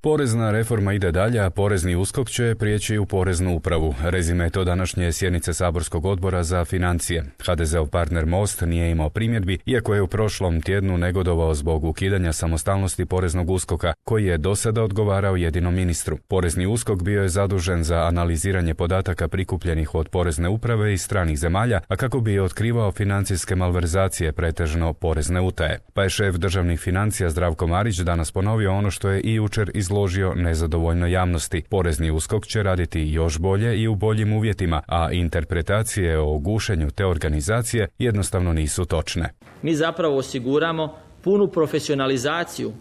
Porezna reforma ide dalje, a porezni USKOK će prijeći u poreznu upravu. Rezime to današnje sjednice saborskog odbora za financije. HDZ-ov partner Most nije imao primjedbi, iako je u prošlom tjednu negodovao zbog ukidanja samostalnosti poreznog USKOK-a, koji je do sada odgovarao jedinom ministru. Porezni USKOK bio je zadužen za analiziranje podataka prikupljenih od porezne uprave iz stranih zemalja, a kako bi otkrivao financijske malverzacije, pretežno porezne utaje. Pa je šef državnih financija Zdravko Marić danas ponovio ono što je i jučer izložio nezadovoljnoj javnosti. Porezni USKOK će raditi još bolje i u boljim uvjetima, a interpretacije o gušenju te organizacije jednostavno nisu točne. Mi zapravo osiguramo punu profesionalizaciju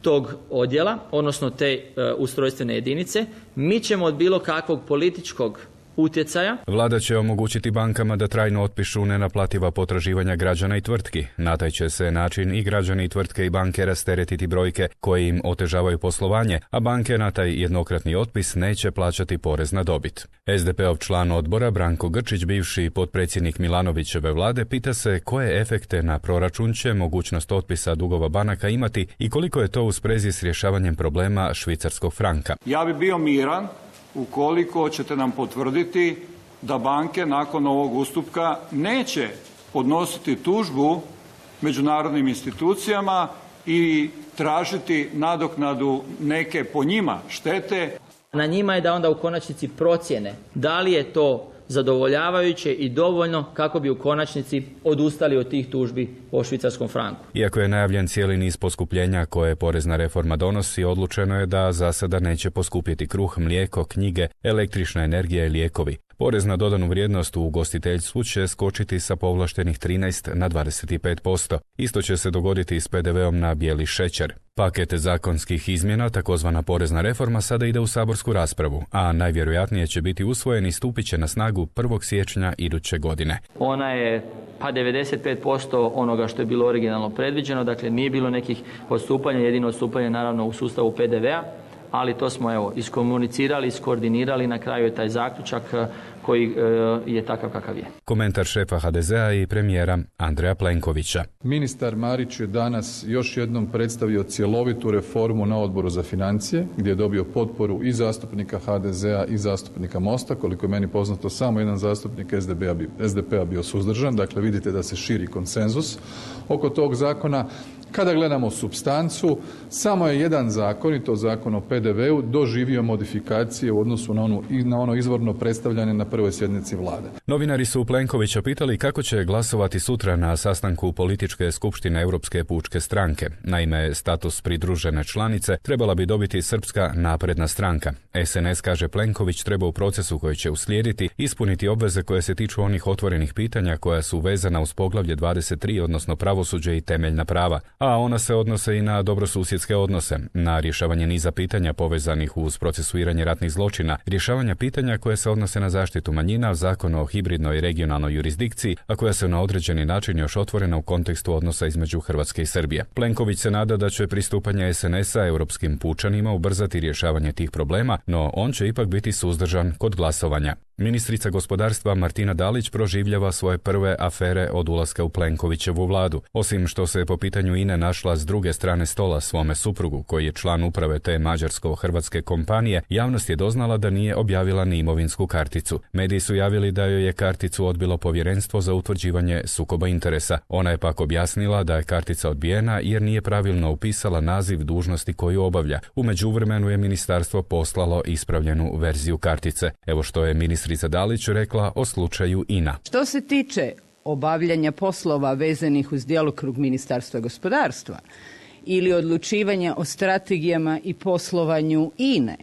tog odjela, odnosno te ustrojstvene jedinice. Mi ćemo od bilo kakvog političkog utjecaja. Vlada će omogućiti bankama da trajno otpišu nenaplativa potraživanja građana i tvrtki. Na taj će se način i građani, i tvrtke i banke rasteretiti brojke koje im otežavaju poslovanje, a banke na taj jednokratni otpis neće plaćati porez na dobit. SDP-ov član odbora Branko Grčić, bivši potpredsjednik Milanovićeve vlade, pita se koje efekte na proračun će mogućnost otpisa dugova banaka imati i koliko je to u sprezi s rješavanjem problema švicarskog franka. Ja bi bio miran ukoliko ćete nam potvrditi da banke nakon ovog ustupka neće podnositi tužbu međunarodnim institucijama i tražiti nadoknadu neke po njima štete. Na njima je da onda u konačnici procjene da li je to zadovoljavajuće i dovoljno kako bi u konačnici odustali od tih tužbi po švicarskom franku. Iako je najavljen cijeli niz poskupljenja koje porezna reforma donosi, odlučeno je da za sada neće poskupjeti kruh, mlijeko, knjige, električna energija i lijekovi. Porez na dodanu vrijednost u ugostiteljstvu će skočiti sa povlaštenih 13 na 25%. Isto će se dogoditi i s PDV-om na bijeli šećer. Paket zakonskih izmjena, takozvana porezna reforma, sada ide u saborsku raspravu, a najvjerojatnije će biti usvojen i stupit će na snagu 1. siječnja iduće godine. Ona je 95% onoga što je bilo originalno predviđeno, dakle nije bilo nekih odstupanja, jedino odstupanje naravno u sustavu PDV-a, ali to smo iskomunicirali, iskoordinirali, na kraju je taj zaključak koji je takav kakav je. Komentar šefa HDZ-a i premijera Andreja Plenkovića. Ministar Marić je danas još jednom predstavio cjelovitu reformu na Odboru za financije, gdje je dobio potporu i zastupnika HDZ-a i zastupnika Mosta. Koliko je meni poznato, samo jedan zastupnik SDP-a bio suzdržan, dakle vidite da se širi konsenzus oko tog zakona. Kada gledamo supstancu, samo je jedan zakon, i to zakon o PDV-u, doživio modifikacije u odnosu na ono izvorno predstavljanje na prvoj sjednici vlade. Novinari su Plenkovića pitali kako će glasovati sutra na sastanku političke skupštine Europske pučke stranke. Naime, status pridružene članice trebala bi dobiti Srpska napredna stranka. SNS, kaže Plenković, treba u procesu koji će uslijediti ispuniti obveze koje se tiču onih otvorenih pitanja koja su vezana uz poglavlje 23, odnosno pravosuđe i temeljna prava. A ona se odnose i na dobrosusjedske odnose, na rješavanje niza pitanja povezanih uz procesuiranje ratnih zločina, rješavanja pitanja koje se odnose na zaštitu manjina, zakon o hibridnoj regionalnoj jurisdikciji, a koja se na određeni način još otvorena u kontekstu odnosa između Hrvatske i Srbije. Plenković se nada da će pristupanje SNS-a europskim pučanima ubrzati rješavanje tih problema, no on će ipak biti suzdržan kod glasovanja. Ministrica gospodarstva Martina Dalić proživljava svoje prve afere od ulaska u Plenkovićevu vladu. Osim što se po pitanju INE našla s druge strane stola svome suprugu, koji je član uprave te mađarsko-hrvatske kompanije, javnost je doznala da nije objavila ni imovinsku karticu. Mediji su javili da joj je karticu odbilo Povjerenstvo za utvrđivanje sukoba interesa. Ona je pak objasnila da je kartica odbijena jer nije pravilno upisala naziv dužnosti koju obavlja. U međuvremenu je ministarstvo poslalo ispravljenu verziju kartice. Evo što je ministrica Dalić rekla o slučaju INA. Što se tiče obavljanja poslova vezanih uz djelokrug Ministarstva gospodarstva ili odlučivanja o strategijama i poslovanju INE,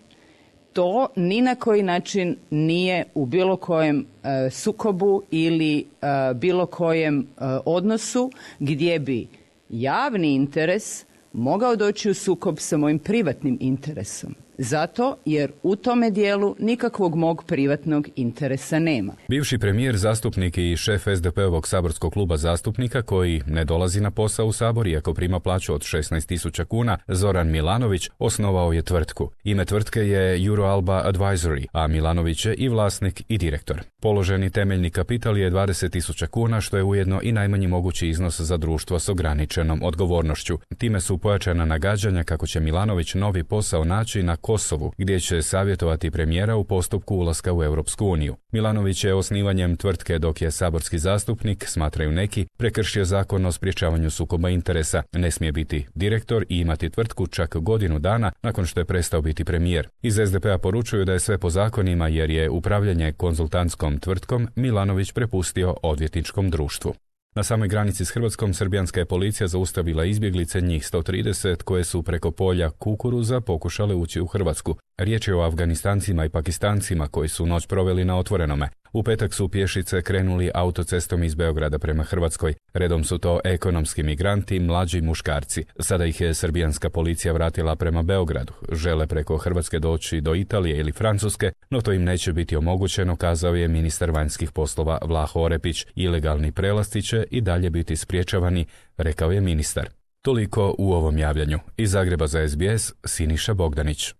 to ni na koji način nije u bilo kojem sukobu ili bilo kojem odnosu gdje bi javni interes mogao doći u sukob sa mojim privatnim interesom. Zato jer u tome dijelu nikakvog mog privatnog interesa nema. Bivši premijer, zastupnik i šef SDP-ovog saborskog kluba zastupnika koji ne dolazi na posao u Sabor iako prima plaću od 16.000 kuna, Zoran Milanović, osnovao je tvrtku. Ime tvrtke je Euroalba Advisory, a Milanović je i vlasnik i direktor. Položeni temeljni kapital je 20.000 kuna, što je ujedno i najmanji mogući iznos za društvo s ograničenom odgovornošću. Time su pojačana nagađanja kako će Milanović novi posao naći na Kosovu, gdje će savjetovati premijera u postupku ulaska u Europsku uniju. Milanović je osnivanjem tvrtke dok je saborski zastupnik, smatraju neki, prekršio zakon o sprječavanju sukoba interesa. Ne smije biti direktor i imati tvrtku čak godinu dana nakon što je prestao biti premijer. Iz SDP-a poručuju da je sve po zakonima jer je upravljanje konzultantskom tvrtkom Milanović prepustio odvjetničkom društvu. Na samoj granici s Hrvatskom srbijanska je policija zaustavila izbjeglice, njih 130, koje su preko polja kukuruza pokušale ući u Hrvatsku. Riječ je o Afganistancima i Pakistancima koji su noć proveli na otvorenome. U petak su pješice krenuli autocestom iz Beograda prema Hrvatskoj. Redom su to ekonomski migranti, mlađi muškarci. Sada ih je srbijanska policija vratila prema Beogradu. Žele preko Hrvatske doći do Italije ili Francuske, no to im neće biti omogućeno, kazao je ministar vanjskih poslova Vlaho Orepić. Ilegalni prelasci će i dalje biti spriječavani, rekao je ministar. Toliko u ovom javljanju. Iz Zagreba za SBS, Siniša Bogdanić.